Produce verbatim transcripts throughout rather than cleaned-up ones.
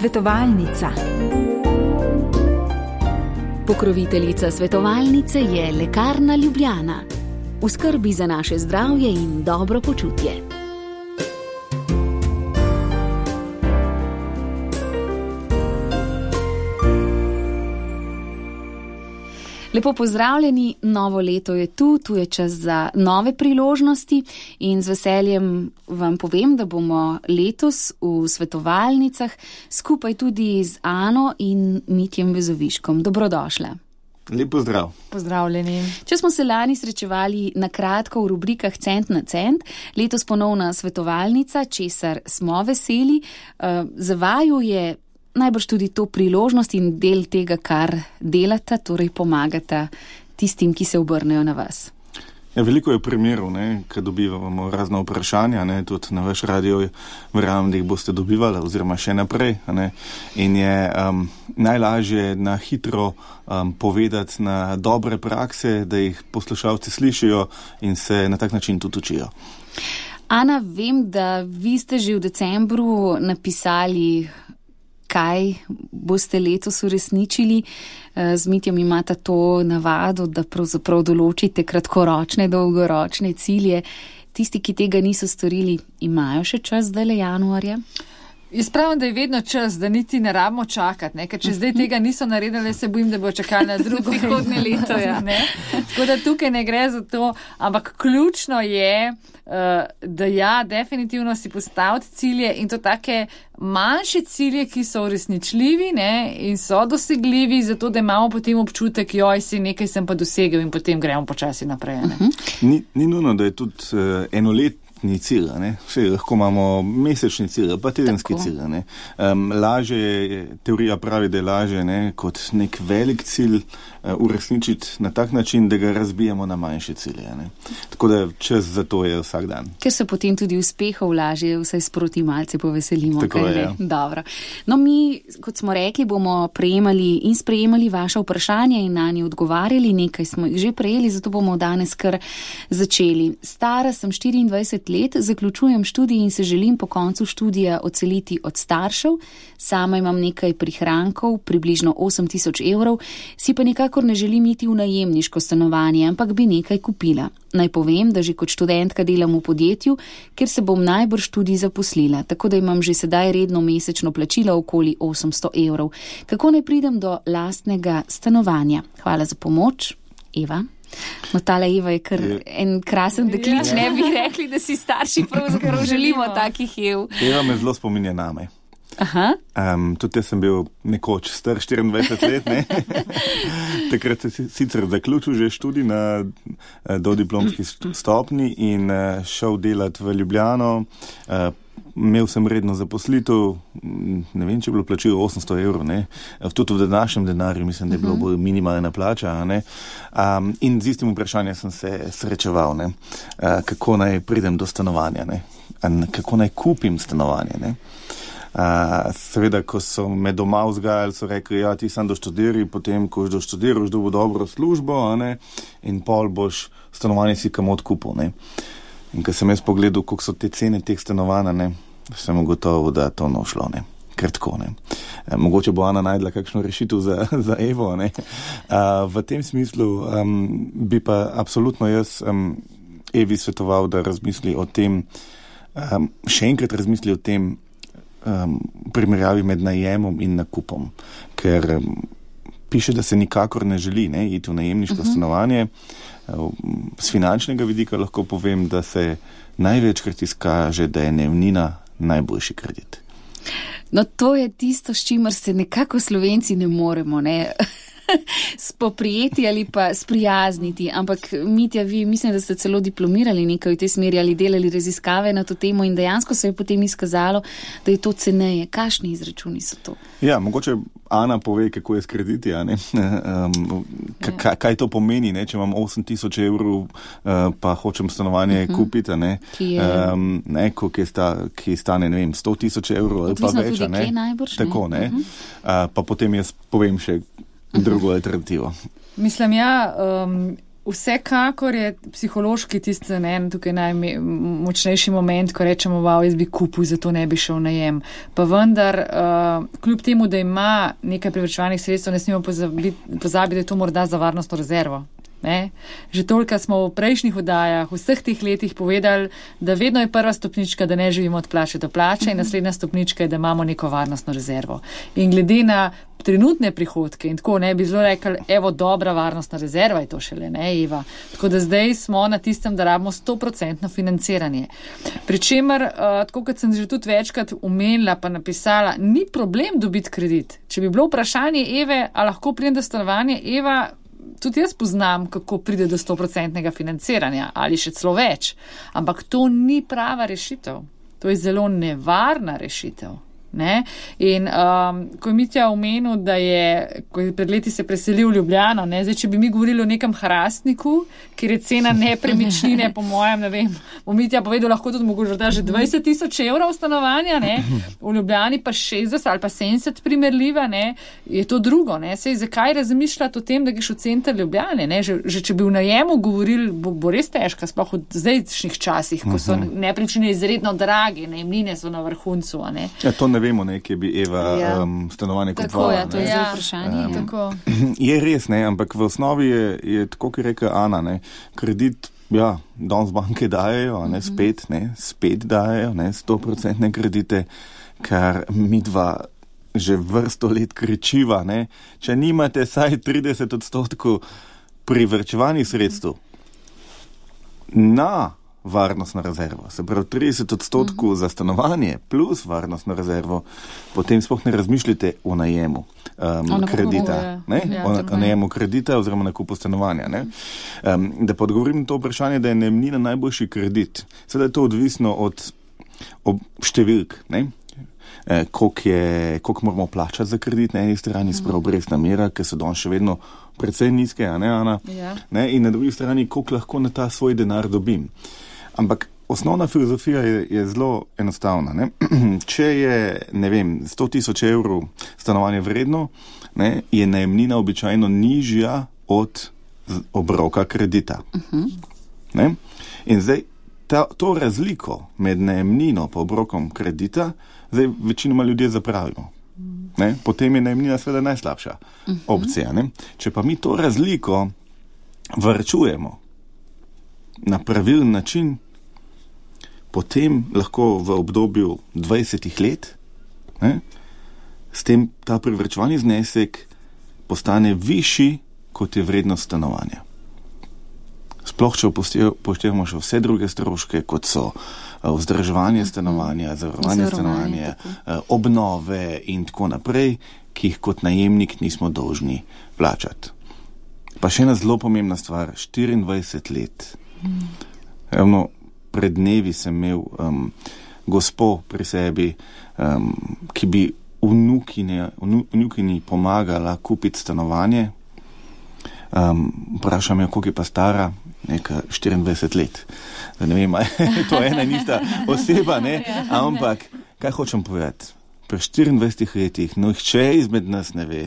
Svetovalnica. Pokroviteljica svetovalnice je Lekarna Ljubljana. V skrbi za naše zdravje in dobro počutje. Lepo pozdravljeni, novo leto je tu, tu je čas za nove priložnosti in z veseljem vam povem, da bomo letos v svetovalnicah skupaj tudi z Ano in Mitjem Vezoviškom. Dobrodošla. Lep pozdrav. Pozdravljeni. Če smo se lani srečevali na kratko v rubrikah Cent na cent, letos ponovna svetovalnica, česar smo veseli, za vaju je najbrž tudi to priložnost in del tega, kar delata, torej pomagata tistim, ki se obrnejo na vas. Ja, veliko je primerov, ne, ko dobivamo razna vprašanja, ne, tudi na vaš radio, verjamem, da jih boste dobivali oziroma še naprej. Ne, in je um, najlažje na hitro um, povedati na dobre prakse, da jih poslušalci slišijo in se na tak način tudi učijo. Ana, vem, da vi ste že v decembru napisali, kaj boste letos uresničili. Z Mitjem imate to navado, da pravzaprav določite kratkoročne, dolgoročne cilje. Tisti, ki tega niso storili, imajo še čas zdajle januarja? Jaz pravim, da je vedno čas, da niti ne rabimo čakati, ne? Ker če zdaj tega niso naredili, se bojim, da bo čakali na drugo prihodnje leto. Ja. Ne? Tako da tukaj ne gre za to, ampak ključno je, da ja, definitivno si postaviti cilje in to take manjše cilje, ki so uresničljivi, ne, in so dosegljivi, zato da imamo potem občutek, joj, si nekaj sem pa dosegel in potem gremo počasi naprej. Ne. Uh-huh. Ni, ni nujno, da je tudi uh, enolet cilj, ne? Vse, lahko imamo mesečni cilj, pa tedenski cilj. Ne? Um, laže je, teorija pravi, da je laže, ne, kot nek velik cilj uh, uresničiti na tak način, da ga razbijemo na manjše cilje. Ne? Tako da čas za to je vsak dan. Ker se potem tudi uspehov laže, vsaj sproti malce poveselimo. Tako je, ja. Dobro. No, mi, kot smo rekli, bomo prejemali in sprejemali vaše vprašanja in na nje odgovarjali. Nekaj smo jih že prejeli, zato bomo danes kar začeli. Stara sem štiriindvajset let, zaključujem študij in se želim po koncu študija odseliti od staršev. Sama imam nekaj prihrankov, približno osem tisoč evrov, si pa nikakor ne želim iti v najemniško stanovanje, ampak bi nekaj kupila. Naj povem, da že kot študentka delam v podjetju, ker se bom najbrž tudi zaposlila, tako da imam že sedaj redno mesečno plačilo okoli osemsto evrov. Kako naj pridem do lastnega stanovanja? Hvala za pomoč. Eva? No, tale Eva je kar je. En krasen deklič, ne bi rekli, da si starši pravzaprav želimo takih Ev. Eva me zelo spominja name. Aha. Um, tudi jaz sem bil nekoč star štiriindvajset let, ne? Takrat sem sicer zaključil že študij na dodiplomski stopni in uh, šel delati v Ljubljano. Uh, Imel sem redno zaposlitev, ne vem, če je bilo plačilo osemsto evrov, ne, tudi v današnjem denarju, mislim, da je bilo bolj minimalna plača, ne, um, in z istim vprašanjem sem se srečeval, ne, uh, kako naj pridem do stanovanja, ne, kako naj kupim stanovanje, ne. Uh, seveda, ko so me doma vzgajali, so rekli, ja, ti sam doštudiri, potem, ko boš doštudiraš, dobo dobro službo, a ne, in pol boš stanovanje si kam odkupil, ne. In ko sem jaz pogledal, koliko so te cene teh stanovanj, ne, sem ugotovil, da to no šlo, ne, ker tako, ne. E, mogoče bo Ana najdla kakšno rešitev za, za Evo, ne. A, v tem smislu um, bi pa absolutno jaz um, Evi svetoval, da razmisli o tem, um, še enkrat razmisli o tem um, primerjavi med najemom in nakupom, ker um, piše, da se nikakor ne želi, ne, iti v najemniško uh-huh. stanovanje. Z finančnega vidika lahko povem, da se največkrat izkaže, da je najemnina najboljši kredit. No, to je tisto, s čimer se nekako Slovenci ne moremo, ne, spoprijeti ali pa sprijazniti. Ampak, Mitja, vi mislim, da ste celo diplomirali nekaj v tej smeri ali delali raziskave na to temo in dejansko se je potem izkazalo, da je to ceneje. Kakšni izračuni so to? Ja, mogoče Ana pove, kako je s krediti, a ne? Um, kaj, kaj to pomeni, ne? Če imam osem tisoč evrov, uh, pa hočem stanovanje uh-huh. kupiti, a ne? Ki je... Um, ne, ki, sta, ki stane, ne vem, sto tisoč evrov ali pa več, a ne? Najbrž, tako, ne? ne? Uh-huh. Uh, pa potem jaz povem še drugo alternativo. Mislim, ja, um, vsekakor je psihološki tisti, ne, tukaj najmočnejši moment, ko rečemo, wow, jaz bi kupil, zato ne bi šel najem. Pa vendar, uh, kljub temu, da ima nekaj privrčevanih sredstev, ne smemo pozabiti, pozabiti, da je to morda za varnostno rezervo. Ne? Že toliko smo v prejšnjih oddajah, v vseh teh letih povedali, da vedno je prva stopnička, da ne živimo od plače do plače in naslednja stopnička je, da imamo neko varnostno rezervo. In glede na trenutne prihodke in tako ne bi zelo rekli, evo, dobra varnostna rezerva je to šele, ne, Eva. Tako da zdaj smo na tistem, da rabimo sto procentno financiranje. Pričemer, uh, tako kot sem že tudi večkrat umenila pa napisala, ni problem dobiti kredit. Če bi bilo vprašanje Eve, a lahko pride do stanovanja, Eva, tudi jaz poznam, kako pride do sto procentnega financiranja ali še celo več. Ampak to ni prava rešitev. To je zelo nevarna rešitev. Ne? In um, ko je Mitja omenil, da je, ko je pred leti se preselil v Ljubljano, ne? Zdaj, če bi mi govorili o nekem Hrastniku, kjer je cena nepremičnine, po mojem, ne vem, bo Mitja povedal, lahko tudi mogoče da že dvajset tisoč evrov stanovanja, ne? V Ljubljani pa šestdeset ali pa sedemdeset primerljiva, ne? Je to drugo. Ne? Sej, zakaj razmišljati o tem, da greš v center Ljubljane? Ne? Že, že če bi v najemu govorili, bo, bo res težka, sploh v zdajšnjih časih, ko so nepremičnine izredno drage, najemnine so na vrhuncu. Ne? Ja, to ne vemo, ne, kje bi Eva ja. um, stanovanje kupovala. Tako, ja, to je ja. vprašanje. Um, tako. Je res, ne, ampak v osnovi je, je tako, ki reka Ana, ne, kredit, ja, danes banke dajejo, ne, spet, ne, spet dajejo, ne, sto procentne kredite, kar mi dva že vrsto let kričiva, ne, če nimate saj trideset odstotkov privrčevanih sredstev na varnostno rezervo, se pravi trideset odstotkov uh-huh. za stanovanje plus varnostno rezervo, potem sploh ne razmišljate o najemu um, kredita, ne? Ja, o, o najemu kredita oziroma nakupu stanovanja. Ne? Um, da pa odgovorim na to vprašanje, da je najemnina najboljši kredit. Seveda je to odvisno od, od številk, ne? E, koliko, je, koliko moramo plačati za kredit na eni strani, sprav obrestna mera, ker so danes še vedno precej nizke, a ne, Ana? Ja. Ne? In na drugi strani, koliko lahko na ta svoj denar dobim. Ampak osnovna filozofija je, je zelo enostavna. Ne? Če je, ne vem, sto tisoč evrov stanovanje vredno, ne, je najemnina običajno nižja od obroka kredita. Uh-huh. Ne? In zdaj ta, to razliko med najemnino pa obrokom kredita, zdaj večinoma ljudje zapravimo. Ne? Potem je najemnina seveda najslabša uh-huh. opcija. Ne? Če pa mi to razliko varčujemo na pravilen način, potem lahko v obdobju dvajsetih let, ne, s tem ta privrčevani znesek postane višji, kot je vrednost stanovanja. Sploh, če upoštevamo še vse druge stroške, kot so vzdrževanje stanovanja, zavarovanje stanovanja, obnove in tako naprej, ki jih kot najemnik nismo dolžni plačati. Pa še ena zelo pomembna stvar, štiriindvajset let. Ravno pred dnevi sem imel um, gospo pri sebi, um, ki bi vnukine, vnukini pomagala kupiti stanovanje. Um, vprašam jo, koliko je pa stara, neka štiriindvajset let. Da ne vem, to je ena in ista oseba, ne? Ampak, kaj hočem povedati? Pri štiriindvajsetih letih, no, nihče izmed nas ne ve,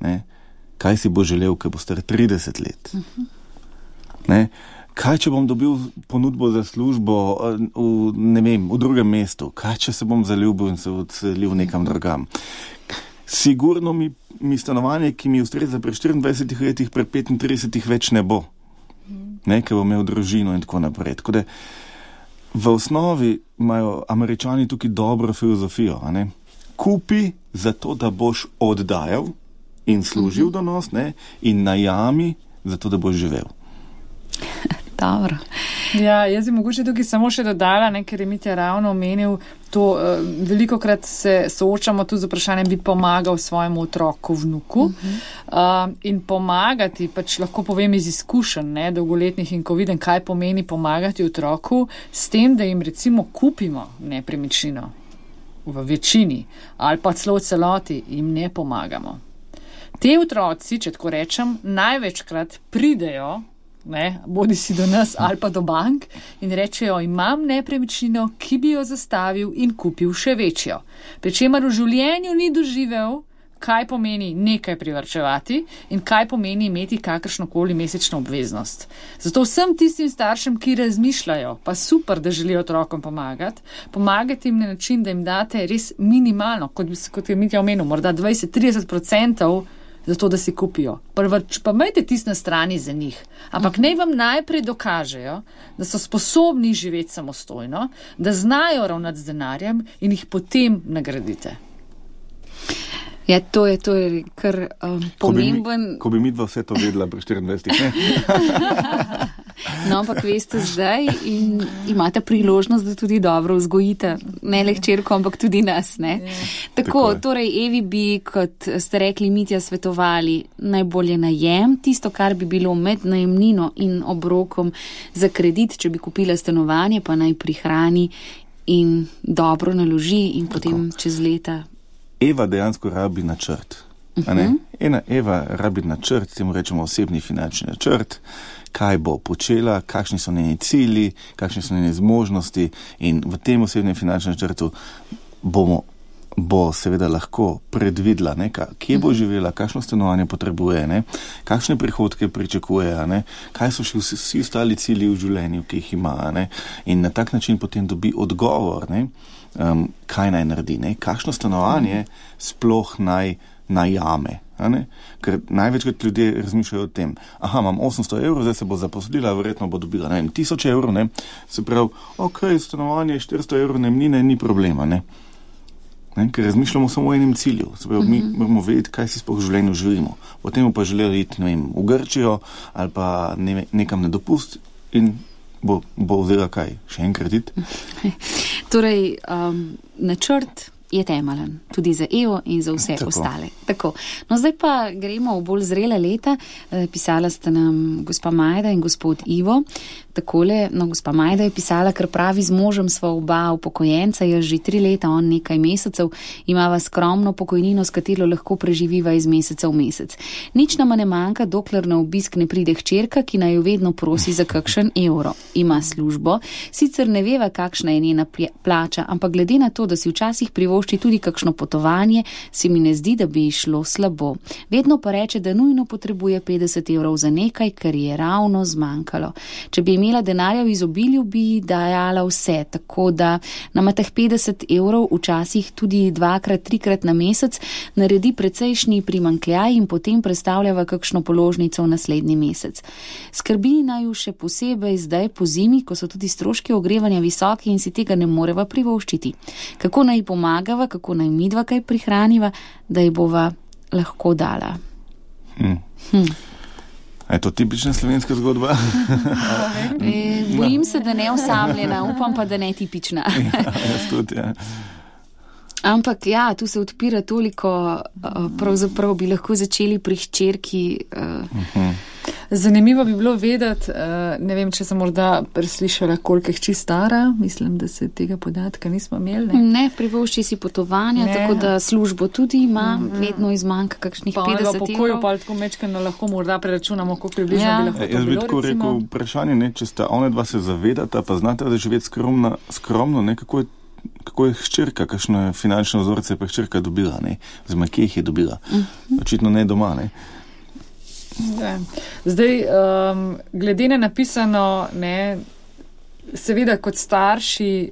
ne? Kaj si bo želel, ko bo star trideset let. Ne? Kaj, če bom dobil ponudbo za službo v, ne vem, v drugem mestu? Kaj, če se bom zaljubil in se odselil nekam drugam? Sigurno mi, mi stanovanje, ki mi ustreza pri štiriindvajsetih letih, pri petintridesetih več ne bo. Ne, ker bom imel družino in tako naprej. Tako da v osnovi imajo Američani tukaj dobro filozofijo. A ne? Kupi zato, da boš oddajal in služil do nos, ne? In najami zato, da boš živel. Dobro. Ja, jaz bi mogoče tukaj samo še dodala, ne, ker je Mitja ravno omenil to, uh, velikokrat se soočamo tu z vprašanjem, bi pomagal svojemu otroku, vnuku. Uh-huh. Uh, in pomagati, pač lahko povem iz izkušenj, ne, dolgoletnih in ko vidim, kaj pomeni pomagati otroku, s tem, da jim recimo kupimo nepremičnino v večini ali pa celo v celoti, jim ne pomagamo. Te otroci, če tako rečem, največkrat pridejo, ne, bodi si do nas ali pa do bank in rečejo, imam nepremičnino, ki bi jo zastavil in kupil še večjo. Pričemer v življenju ni doživel, kaj pomeni nekaj privarčevati in kaj pomeni imeti kakršnokoli mesečno obveznost. Zato vsem tistim staršem, ki razmišljajo, pa super, da želijo otrokom pomagati, pomagati jim na način, da jim date res minimalno, kot, bi, kot je Mitja omenil, morda dvajset do trideset odstotkov za to, da si kupijo. Prvač, pa imejte tist na strani za njih. Ampak naj vam najprej dokažejo, da so sposobni živeti samostojno, da znajo ravnati z denarjem in jih potem nagradite. Ja, to je, to je kar um, pomemben... Ko bi mi dva vse to vedela pri štiriindvajsetih, ne? No, ampak veste zdaj in imate priložnost, da tudi dobro vzgojite, ne le hčerko, ampak tudi nas, ne? Ja. Tako, Tako torej, Evi bi, kot ste rekli, Mitja, svetovali najbolje najem, tisto, kar bi bilo med najemnino in obrokom za kredit, če bi kupila stanovanje, pa naj prihrani in dobro naloži in Tako. Potem čez leta... Eva dejansko rabi načrt. A ne? Ena Eva rabi načrt, temu rečemo osebni finančni načrt, kaj bo počela, kakšni so njeni cilji, kakšni so njeni zmožnosti in v tem osebnem finančnem načrtu bomo, bo seveda lahko predvidela, ne, kje bo živela, kakšno stanovanje potrebuje, ne, kakšne prihodke pričakuje, ne, kaj so še vsi, vsi ostali cilji v življenju, ki jih ima, ne, in na tak način potem dobi odgovor, ne, Um, kaj naj naredi, ne? Kakšno stanovanje sploh naj najame. Ne? Ker največkrat ljudje razmišljajo o tem, aha, imam osemsto evrov, zdaj se bo zaposlila, verjetno bo dobila ne, tisoč evrov, ne? Se pravi, ok, stanovanje štiristo evrov najemnine ni problema, ne? Ne? Ker razmišljamo samo o enem cilju, se pravi, mi moramo vedeti, kaj si sploh v življenju želimo. Potem pa želeli iti, ne vem, v Grčijo ali pa ne, nekam na dopust in bo, bo vzela kaj, še en kredit. Torej, um, načrt je temeljen tudi za Evo in za vse Tako. ostale. Tako. No, zdaj pa gremo v bolj zrela leta. E, pisala sta nam gospa Majda in gospod Ivo. Takole, no, gospa Majda je pisala, ker pravi, z možem sva oba upokojenca, jaz že tri leta, on nekaj mesecev, imava skromno pokojnino, s katero lahko preživiva iz meseca v mesec. Nič nama ne manjka, dokler na obisk ne pride hčerka, ki naj jo vedno prosi za kakšen evro. Ima službo, sicer ne veva, kakšna je njena plača, ampak glede na to, da si včasih privošči tudi kakšno potovanje, se mi ne zdi, da bi šlo slabo. Vedno pa reče, da nujno potrebuje petdeset evrov za nekaj, kar je ravno zmanjkalo. Če bi imela denarja v izobilju, bi dajala vse, tako da nama teh petdeset evrov včasih tudi dvakrat, trikrat na mesec naredi precejšnji primanjkljaj in potem predstavljava kakšno položnico v naslednji mesec. Skrbi naju še posebej zdaj po zimi, ko so tudi stroški ogrevanja visoki in si tega ne moreva privoščiti. Kako naj pomagava, kako naj midva kaj prihraniva, da ji bova lahko dala. Hmm. Hm. Je to tipična slovenska zgodba? e, bojim se, da ne osamljena, upam pa, da ne tipična. ja, jaz tudi, ja. Ampak ja, tu se odpira toliko, pravzaprav bi lahko začeli pri hčerki. Uh-huh. Zanimivo bi bilo vedeti, ne vem, če sem morda preslišala, koliko je hči stara, mislim, da se tega podatka nismo imeli. Ne, ne privošči si potovanja, ne. Tako da službo tudi ima, mm-hmm. vedno izmanjka kakšnih pa petdeset evrov. Pa pokoju pa tako mečkano lahko morda preračunamo, koliko približno ja. bi lahko to bilo. Jaz bi tako rekel vprašanje, ne, če sta one dva se zavedata, pa znate, da živeti skromno, skromno ne, kako je kako je hčerka, kakšne finančne vzorce je pa hčerka dobila, ne, oziroma kje jih je dobila. Mm-hmm. Očitno ne doma, ne. Ja. Zdaj, um, glede na napisano, ne, seveda kot starši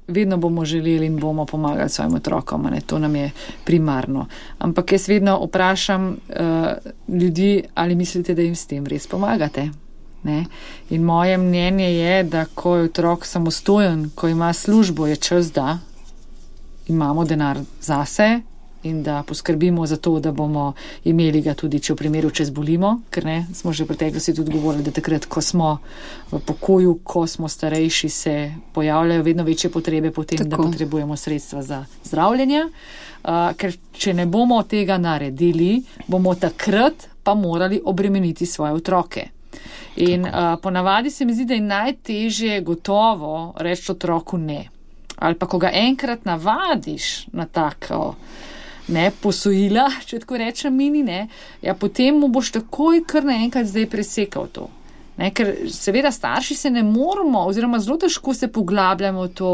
vedno bomo želeli in bomo pomagali svojim otrokom, ne, to nam je primarno. Ampak jaz vedno vprašam uh, ljudi, ali mislite, da jim s tem res pomagate? Ne? In moje mnenje je, da ko je otrok samostojen, ko ima službo, je čas, da imamo denar zase in da poskrbimo za to, da bomo imeli ga tudi, če v primeru, če zbolimo, ker ne, smo že v preteklosti tudi govorili, da takrat, ko smo v pokoju, ko smo starejši, se pojavljajo vedno večje potrebe potem, Tako. da potrebujemo sredstva za zdravljenje, uh, ker če ne bomo tega naredili, bomo takrat pa morali obremeniti svoje otroke. In uh, ponavadi se mi zdi, da je najtežje gotovo reči otroku ne. Ali pa, ko ga enkrat navadiš na tako ne, posojila, če tako rečem mini, ne, ja, potem mu boš takoj kar naenkrat zdaj presekal to. Ne, ker seveda starši se ne moramo, oziroma zelo težko se poglabljamo v to,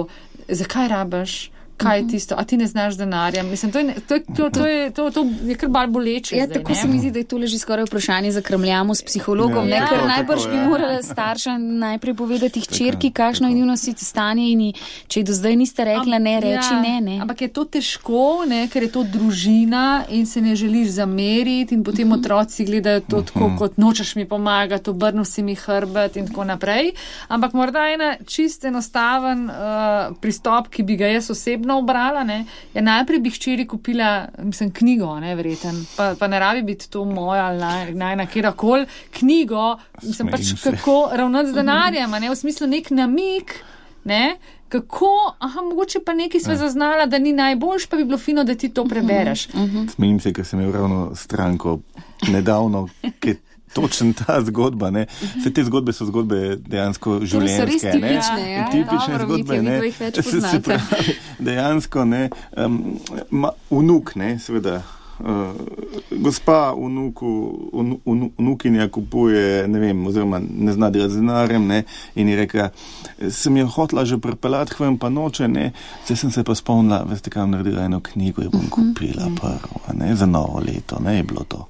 zakaj rabaš, kaj je tisto, a ti ne znaš denarja. Mislim, to je, to je, to, to je, to, to je kar bolj boleče. Ja, zdaj, tako ne? se mi zdi, da je to leži skoraj vprašanje za krmljamo s psihologom, Ja, ne, ker tako, najbrž tako, bi ja. morala starša najprej povedati hčerki, Tako, kakšno je tako. njuno stanje in ji, če ji do zdaj niste rekla ne, reči ja, ne, ne. Ampak je to težko, ne, ker je to družina in se ne želiš zameriti in potem otroci gledajo to tako, kot nočeš mi pomagati, obrnil si mi hrbet in tako naprej. Ampak morda ena čist enostaven uh, pristop, ki bi ga jaz osebno obrala, ne, je najprej bi hčeri kupila, mislim, knjigo, ne, verjeten, pa, pa ne rabi biti to moja ali naj, naj na kjerkoli knjigo, mislim pač Smejim se. kako ravnati z denarjem, a ne, v smislu nek namik, ne, kako, aha, mogoče pa nekaj sva zaznala, da ni najboljš, pa bi bilo fino, da ti to prebereš. Smejim se, ker sem imel ravno stranko nedavno, ki je točen ta zgodba, ne. Vse te zgodbe so zgodbe dejansko življenjske, res ne. tipične, ja. Tipične Dobro, zgodbe, Mitja, ne. vidva jih več Se- se poznate. pravi, dejansko, ne, um, ma, vnuk, ne, seveda, uh, gospa vnuku, vnu, vnu, vnukinja kupuje, ne vem, oziroma ne zna delati z denarjem, ne, in je rekla, sem jo hotela že pripeljati k vam, pa noče, ne, zdaj sem se pa spomnila, veste, kam naredila eno knjigo, jo bom kupila prvo, a ne, za novo leto, ne, je bilo to.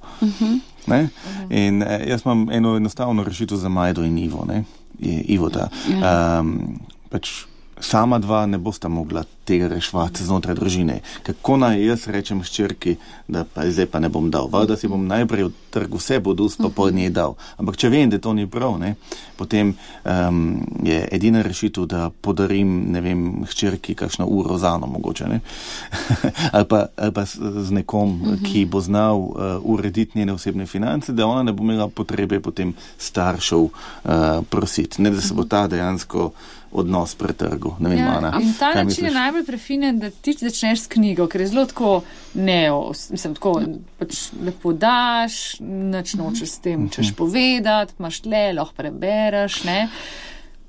Ne? In eh, jaz imam eno enostavno rešitev za Majdo in Ivo, ne, je Ivota. Um, pač sama dva ne bosta mogla tega reševati znotraj družine. Kako naj jaz rečem hčerki, da pa zdaj pa ne bom dal, da si bom najprej v trgu vse bodus, pa po njej dal. Ampak če vem, da to ni prav, ne, potem um, je edina rešitev, da podarim, ne vem, hčerki kakšno uro zano mogoče, ne. ali, pa, ali pa z, z nekom, ki bo znal uh, urediti njene osebne finance, da ona ne bo imela potrebe potem staršev uh, prositi. Ne, da se bo ta dejansko odnos pretrgal. Ne vem, Ja, Ana, in ta kaj način misliš? je najbolj prefinen, da ti začneš s knjigo, ker je zelo tako neo, mislim, tako pač lepo daš, nič nočeš s tem, češ povedati, imaš tle, lahko prebereš, ne.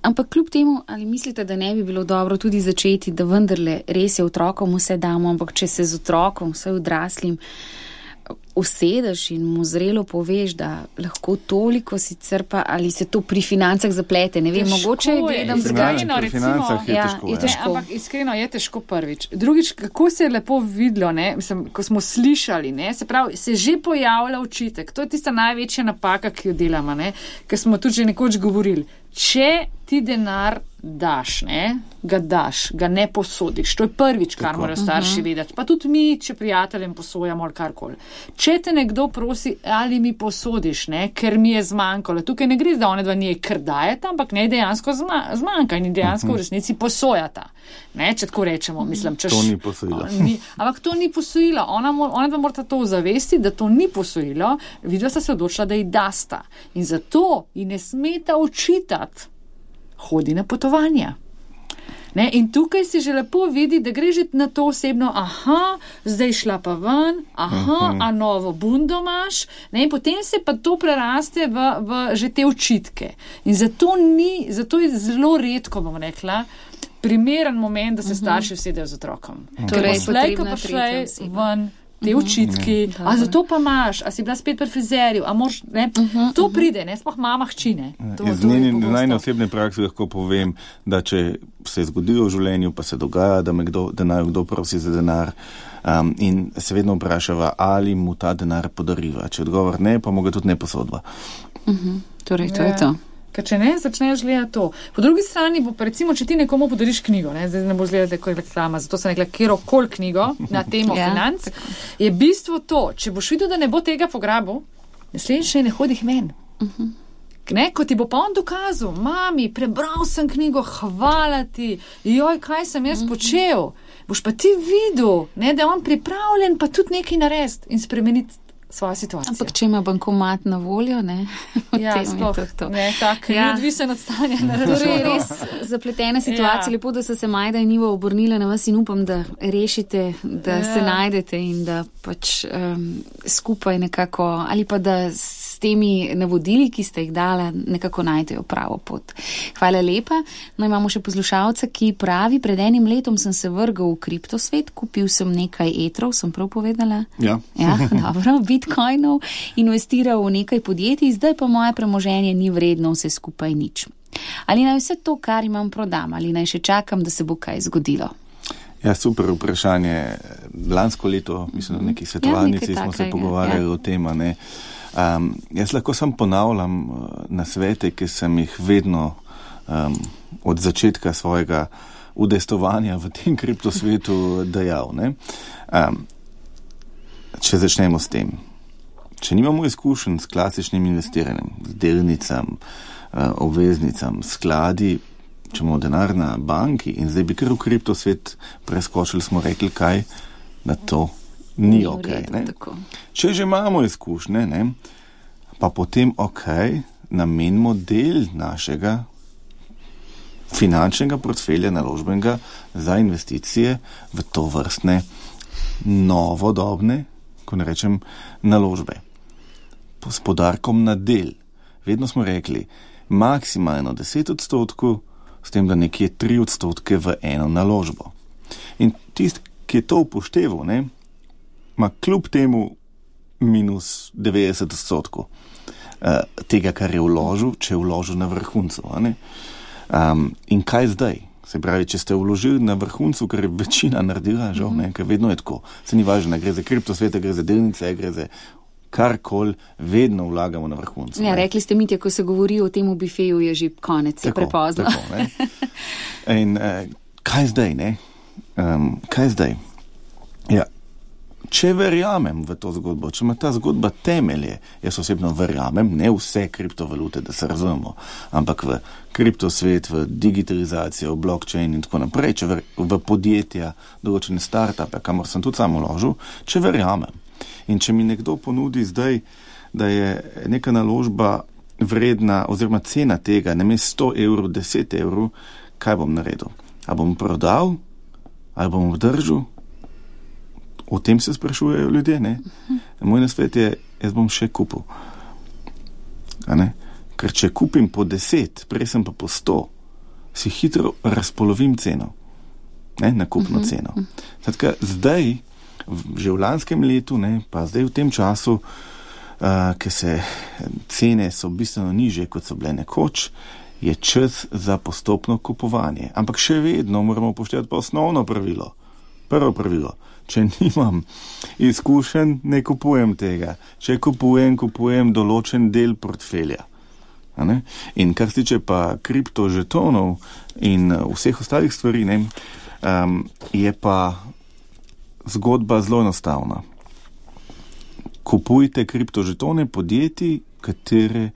Ampak kljub temu, ali mislite, da ne bi bilo dobro tudi začeti, da vendarle res je otrokom vse damo, ampak če se z otrokom, vse odraslim, usedeš in mu zrelo poveš, da lahko toliko sicer pa, ali se to pri financah zaplete, ne vem, Težko mogoče je, gledam Pri drugače. iskreno, pri financah je ja, težko, je ja. težko. Ne, ampak iskreno je težko prvič. Drugič, kako se je lepo videlo, ne, mislim, ko smo slišali, ne, se pravi, se že pojavlja očitek. To je tista največja napaka, ki jo delamo, ne, ker smo tudi že nekoč govorili. Če ti denar daš, ne, ga daš, ga ne posodiš. To je prvič, kar Tako. morajo starši vedeti. Pa tudi mi, če prijateljem posojamo ali karkoli. Če te nekdo prosi, ali mi posodiš, ne, ker mi je zmanjkalo. Tukaj ne gre, da one dva njej kar dajeta, ampak ne dejansko zma, zmanjka in dejansko v resnici posojata. Ne, če tako rečemo, mislim, češ, To ni posojilo. Ni, ampak to ni posojilo. Ona, mo- ona dva morata to zavesti, da to ni posojilo. Videla sta se odločila, da ji dasta. In zato ji ne smeta očitati. Hodi na potovanja. Ne, in tukaj se že lepo vidi, da gre že na to osebno, aha, zdaj šla pa ven, aha, a novo bundo imaš, ne, in potem se pa to preraste v, v že te očitke. In zato ni, zato je zelo redko, bom rekla, primeren moment, da se starši usedejo z otrokom. Torej, Poslej, ko potrebna pa tretja šlej oseba. ven te očitki, a zato pa imaš, a si bila spet pri frizerju, a moš, ne, to pride, ne, sploh mama hčine. To, Iz to je njene pogosto. najne osebne prakse lahko povem, da če se je zgodilo v življenju, pa se dogaja, da me kdo, da naj kdo prosi za denar um, in se vedno vprašava, ali mu ta denar podariva. Če odgovor ne, pa mu ga tudi ne posodva. Torej, to Ja. je to. Ker če ne, začneš gledati to. Po drugi strani, bo, pa recimo, če ti nekomu podariš knjigo, ne, zdaj ne boš gledati kot reklama, zato sem rekla, kjerokoli knjigo na temo Ja, financ, je bistvo to, če boš videl, da ne bo tega pograbil, naslednjič ne hodih ven. Ne, ko ti bo pa on dokazal, mami, prebral sem knjigo, hvala ti, joj, kaj sem jaz počel, boš pa ti videl, ne, da je on pripravljen pa tudi nekaj narediti in spremeniti svojo situacijo. Ampak če ima bankomat na voljo, ne, ja, potem je sploh, to to. ne, tak, Ja. ni odvisen od stanja na Torej, računu. res zapletena situacija. Ja. Lepo, da so se Majda in Ivo obrnile na vas in upam, da rešite, da Ja. se najdete in da pač um, skupaj nekako, ali pa da s temi navodili, ki ste jih dala, nekako najdejo pravo pot. Hvala lepa. No, imamo še poslušalca, ki pravi, pred enim letom sem se vrgal v kriptosvet, kupil sem nekaj etrov, sem prav povedala? Ja. Ja, dobro, bitcoinov, investiral v nekaj podjetij, zdaj pa moje premoženje ni vredno vse skupaj nič. Ali naj vse to, kar imam, prodam, ali naj še čakam, da se bo kaj zgodilo? Ja, super vprašanje. Lansko leto, mislim, na neki svetovalnici ja, smo se pogovarjali ja. o tem, ne. Um, jaz lahko sam ponavljam na svete, ki sem jih vedno um, od začetka svojega udejstovanja v tem kriptosvetu dejal, ne. Um, če začnemo s tem. Če nimamo izkušenj s klasičnim investiranjem, z delnicam, obveznicam, skladi, če imamo denar na banki in zdaj bi kar v kriptosvet preskočili, smo rekli, kaj na to ni ok. Ne? Če že imamo izkušnje, ne, pa potem ok, namenimo del našega finančnega portfelja naložbenega za investicije v to vrstne novodobne, ko ne rečem, naložbe. S podarkom na del. Vedno smo rekli, maksimalno deset odstotkov, s tem, da nekje tri odstotke v eno naložbo. In tisti, ki je to upošteval, ne, ima kljub temu minus devetdeset odstotkov uh, tega, kar je vložil, če je vložil na vrhuncu. Um, in kaj zdaj? Se pravi, če ste vložili na vrhuncu, kar je večina naredila, žal, ne, ker vedno je tako. Se ni važno, gre za kriptosvete, gre za delnice, gre za karkoli, vedno vlagamo na vrhuncu. Ja, rekli ste, Mitja, ko se govori o tem v bifeju, je že konec, tako, je prepozno. Tako, ne. In uh, kaj zdaj, ne? Um, kaj zdaj? Ja, če verjamem v to zgodbo, če ima ta zgodba temelje, jaz osebno verjamem, ne vse kriptovalute, da se razumemo, ampak v kriptosvet, v digitalizacijo, v blockchain in tako naprej, če ver, v podjetja, določene startupe, kamor sem tudi sam vložil, če verjamem. In če mi nekdo ponudi zdaj, da je neka naložba vredna oziroma cena tega, namesto sto evrov, deset evrov, kaj bom naredil? A bom prodal? Ali bom obdržal? O tem se sprašujejo ljudje, ne? Moj nasvet je, jaz bom še kupil. A ne? Ker če kupim po deset, prej sem pa po sto, si hitro razpolovim ceno. Ne? Nakupno ceno. Zdaj, zdaj že v lanskem letu, ne, pa zdaj v tem času, uh, ki se cene so bistveno nižje, kot so bile nekoč, je čas za postopno kupovanje. Ampak še vedno moramo upoštevati pa osnovno pravilo. Prvo pravilo. Če nimam izkušenj, ne kupujem tega. Če kupujem, kupujem določen del portfelja. A ne? In kar se tiče pa kriptožetonov in vseh ostalih stvari, ne, um, je pa zgodba zelo enostavna. Kupujte kriptožetone podjetij, katere,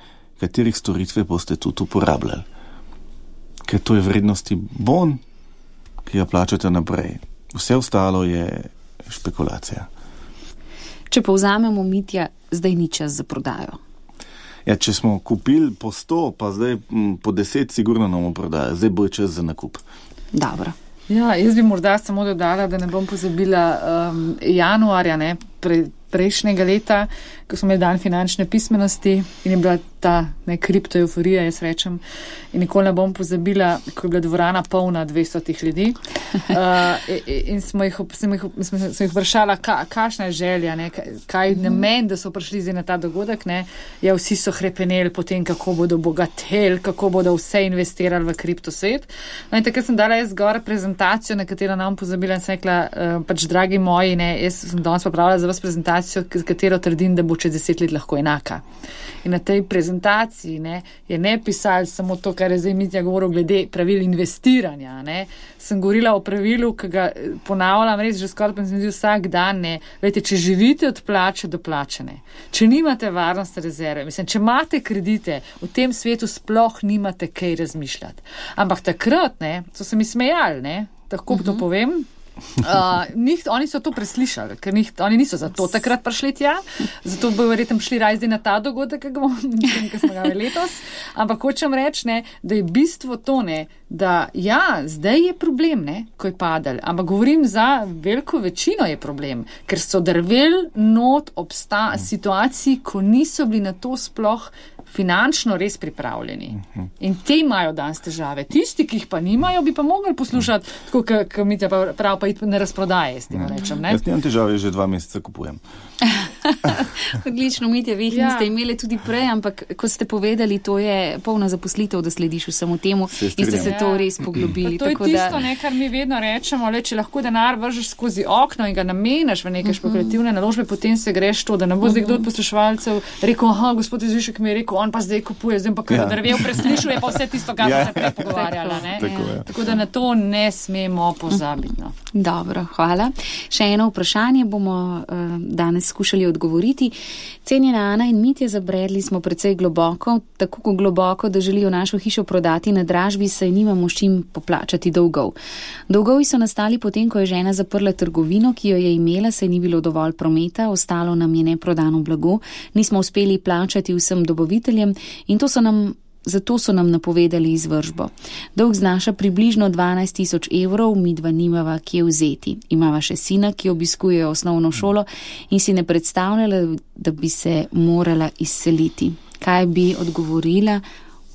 katerih storitve boste tudi uporabljali. Ker to je vrednosti bon, ki ga plačate naprej. Vse ostalo je špekulacija. Če povzamemo, Mitja, zdaj ni čas za prodajo. Ja, če smo kupili po sto, pa zdaj m, po deset sigurno nam prodajo. Zdaj bo čas za nakup. Dobro. Ja, jaz bi morda samo dodala, da ne bom pozabila um, januarja, ne, pre, prejšnjega leta, ko smo imeli dan finančne pismenosti in je bila ta ne, kriptoeuforija, jaz rečem, in nikoli ne bom pozabila, ko je bila dvorana polna dvestotih ljudi. Uh, in smo jih, sem jih, sem jih vprašala, ka, kakšna je želja, ne, kaj namen, da so prišli zdaj na ta dogodek. Ne. Ja, vsi so hrepeneli potem, kako bodo bogateli, kako bodo vse investirali v kriptosvet. No in takrat sem dala jaz zgor prezentacijo, na katero nam pozabila in sem rekla, uh, pač dragi moji, ne, jaz sem danes pripravila za vas prezentacijo, z katero trdim, da bo čez deset let lahko enaka. In na tej prezentaciji ne, je ne pisali samo to, kar je zdaj Mitja govoril glede pravil investiranja. Ne. Sem govorila o pravilu, ki ga ponavljam res že skoraj pa sem zdi vsak dan. Ne. Vejte, če živite od plače do plačene, če nimate varnostne rezerve, mislim, če imate kredite, v tem svetu sploh nimate kaj razmišljati. Ampak takrat, ne, so se mi smejali, ne, tako uh-huh. to povem, Uh, njih, oni so to preslišali, ker njih, oni niso za to takrat prišli tja, zato bo verjetno šli raje na ta dogodek, ki smo ga letos. Ampak hočem reči, ne, da je bistvo to, ne, da ja, zdaj je problem, ne, ko je padel, ampak govorim za veliko večino je problem, ker so drvel not obsta situaciji, ko niso bili na to sploh finančno res pripravljeni. In te imajo danes težave. Tisti, ki jih pa nimajo, bi pa mogli poslušati, tako, kot Mitja prav, pa iti na razprodaje, s tem rečem. Ne? Jaz nimam težave, že dva meseca kupujem. Odlično, Mitja, vi jih ja. niste imeli tudi prej, ampak kot ste povedali, to je polna zaposlitev, da slediš vsemu temu in ste se ja. to res poglobili. Pa to je tako, tisto, da... ne, kar mi vedno rečemo, le, če lahko denar vržeš skozi okno in ga namenaš v neke špekulativne naložbe, potem se greš to, da ne bo zdaj kdo od poslušalcev rekel, aha, gospod Izvišek mi je rekel, on pa zdaj kupuje, zdaj pa kar ja. drvel preslišuje pa vse tisto, kar ja. se prej pogovarjala. Ne? Tako, ja. tako da na to ne smemo pozabiti. No. Dobro, hvala. Še eno vprašanje bomo uh, danes skušali odgovoriti. Cenjena Ana in Mitja, zabredli smo precej globoko, tako globoko, da želijo našo hišo prodati na dražbi, saj nimamo s čim poplačati dolgov. Dolgovi so nastali potem, ko je žena zaprla trgovino, ki jo je imela, saj ni bilo dovolj prometa, ostalo nam je neprodano blago, nismo uspeli plačati vsem dobaviteljem in to so nam Zato so nam napovedali izvržbo. Dolg znaša približno dvanajst tisoč evrov, midva nimava kje vzeti. Imava še sina, ki obiskuje osnovno šolo in si ne predstavljala, da bi se morala izseliti. Kaj bi odgovorila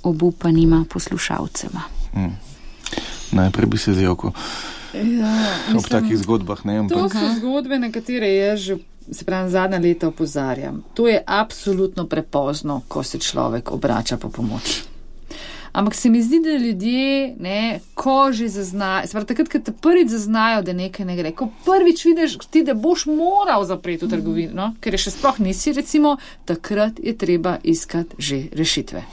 obupanima poslušalcema? Hmm. Najprej bi se zjokal. Ja, ob takih zgodbah, ne? To ampak... so zgodbe, na katere jaz že se pravi, zadnja leta opozarjam. To je absolutno prepozno, ko se človek obrača po pomoč. Ampak se mi zdi, da ljudje, ne, ko že zaznajo, se pravi, takrat, ko te prvič zaznajo, da nekaj ne gre, ko prvič vidiš ti, da boš moral zapreti v trgovino, no, ker je še sploh nisi, recimo, takrat je treba iskati že rešitve.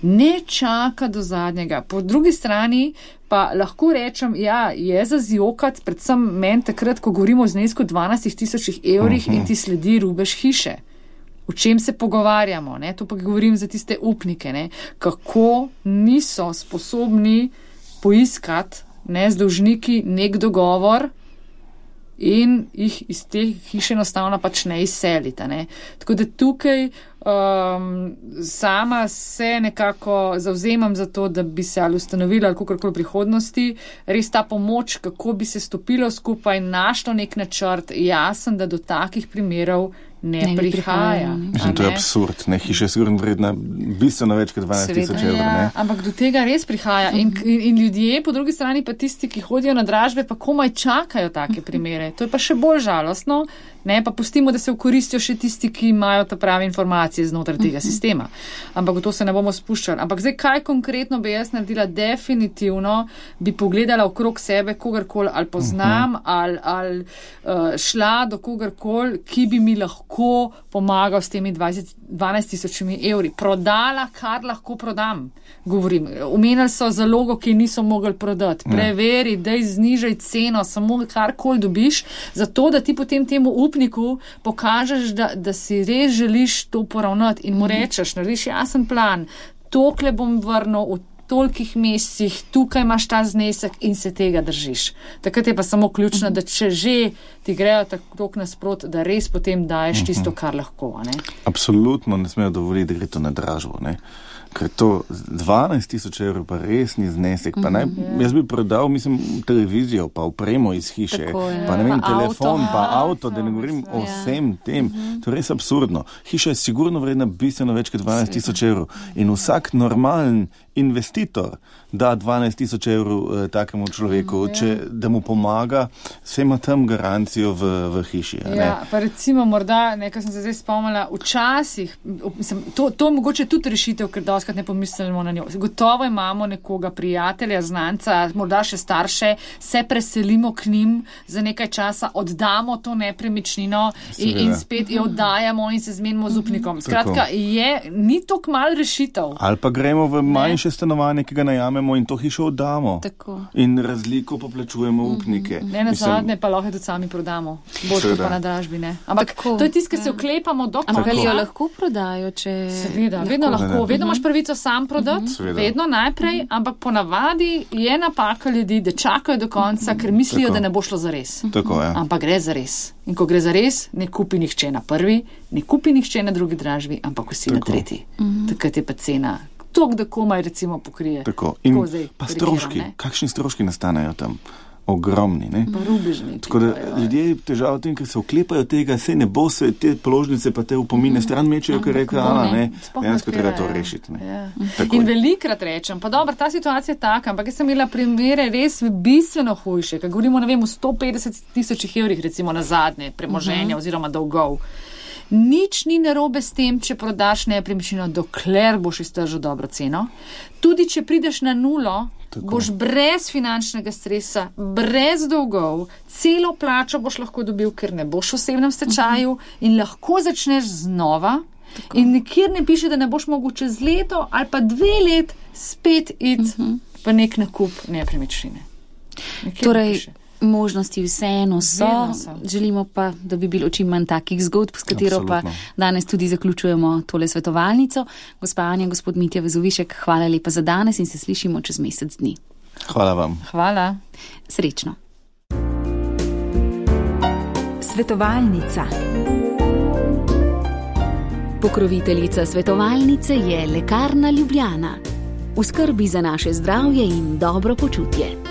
Ne čaka do zadnjega. Po drugi strani pa lahko rečem, ja, je za zjokat, predvsem meni takrat, ko govorimo o znesku dvanajst tisoč evrih uh-huh. in ti sledi rubež hiše. O čem se pogovarjamo, ne? To pa govorim za tiste upnike, ne? Kako niso sposobni poiskati, ne, z dolžniki nek dogovor in jih iz te hiše enostavno pač ne izselita, ne? Tako da tukaj Um, sama se nekako zauzemam za to, da bi se ali ustanovila ali kakorkoli v prihodnosti, res ta pomoč, kako bi se stopilo skupaj, našlo nek načrt, jasen, da do takih primerov ne, ne prihaja. Mislim, to je absurd, ne, hiša je sigurno vredna bistveno več kot dvanajst tisoč evrov. Ja, ampak do tega res prihaja in, in, in ljudje, po drugi strani pa tisti, ki hodijo na dražbe, pa komaj čakajo take primere. To je pa še bolj žalostno, ne, pa pustimo, da se okoristijo še tisti, ki imajo ta pravi informacije znotraj tega sistema. Ampak v to se ne bomo spuščali. Ampak zdaj, kaj konkretno bi jaz naredila? Definitivno bi pogledala okrog sebe kogarkoli, ali poznam, ali, ali uh, šla do kogarkoli, ki bi mi lahko pomagal s temi dvanajst tisočimi evri. Prodala, kar lahko prodam. Govorim, omenili so zalogo, ki niso mogli prodati. Preveri, daj znižaj ceno, samo karkoli dobiš, zato da ti potem temu upniku pokažeš, da, da si res želiš to poravnati in mu rečeš, narediš jasen plan, tokle bom vrnil v tolikih mesecih, tukaj imaš ta znesek in se tega držiš. Takrat je pa samo ključno, da če že ti grejo tako nasprot, da res potem daješ tisto, kar lahko. Ne? Absolutno ne smejo dovoliti, da gre to na dražbo, ne? Ker to dvanajst tisoč evrov pa res ni znesek. Pa naj, jaz bi prodal, mislim, televizijo, pa opremo iz hiše, tako, pa ne vem, pa telefon, avto, pa avto, da ne govorim ja. o vsem tem. Uh-huh. To je res absurdno. Hiša je sigurno vredna bistveno več kot dvanajst tisoč evrov. In vsak normalen investitor da dvanajst tisoč evrov eh, takemu človeku, ja. če, da mu pomaga, se ima tam garancijo v, v hiši. Ja, pa recimo morda, nekaj sem se zdaj spomnila, včasih, mislim, to, to mogoče tudi rešitev, ker doskrat ne pomislimo na njo. Gotovo imamo nekoga prijatelja, znanca, morda še starše, se preselimo k njim za nekaj časa, oddamo to nepremičnino in, in spet jo oddajamo in se zmenimo z upnikom. Skratka, je, ni to kmal rešitev. Ali pa gremo v manjše stanovanje, ki ga najamemo in to hišo oddamo. Tako. In razliko poplačujemo upnike. Ne na zadnje, pa lahko tudi sami prodamo. Bolj pa na dražbi, ne. Ampak tako, to je tisto, ki se oklepamo do konca. Ampak ali jo lahko prodajo, če... Seveda, vedno lahko. lahko. Vedno imaš pravico sam prodati, uh-huh. vedno najprej, uh-huh. ampak ponavadi je napaka ljudi, da čakajo do konca, ker mislijo, tako. da ne bo šlo za res. Tako, ja. Ampak gre za res. In ko gre za res, ne kupi nihče na prvi, ne kupi nihče na drugi dražbi, ampak vsi tako. na tretji. Uh-huh. Takrat je pa cena tok, da komaj recimo pokrije. Tako. In pa stroški. Kakšni stroški nastanejo tam? Ogromni, ne? Rubežni. Tako da ljudje težav v tem, ker se oklepajo tega, se ne bo se te položnice pa te upomine stran mečejo, ker reka, Ana, ne, dejansko treba to rešiti. Ne? Ja. In velikrat rečem, pa dobro, ta situacija je taka, ampak jaz sem imela primere res bistveno hujše, ker govorimo, ne vem, o sto petdeset tisočih evrih recimo na zadnje premoženja uh-huh. oziroma dolgov. Nič ni narobe s tem, če prodaš nepremičnino, dokler boš iztržil dobro ceno. Tudi če prideš na nulo, tako boš brez finančnega stresa, brez dolgov, celo plačo boš lahko dobil, ker ne boš v osebnem stečaju uh-huh. in lahko začneš znova. Tako. In nikjer ne piše, da ne boš mogel čez leto ali pa dve let spet iti uh-huh. v nek nakup nepremičnine. Torej, možnosti vseeno so. so. Želimo pa, da bi bilo čim manj takih zgodb, s katero Absolutno. Pa danes tudi zaključujemo tole svetovalnico. Gospa Anja, gospod Mitja Vezovišek, hvala lepa za danes in se slišimo čez mesec dni. Hvala vam. Hvala. Srečno. Svetovalnica. Pokroviteljica svetovalnice je Lekarna Ljubljana. V skrbi za naše zdravje in dobro počutje.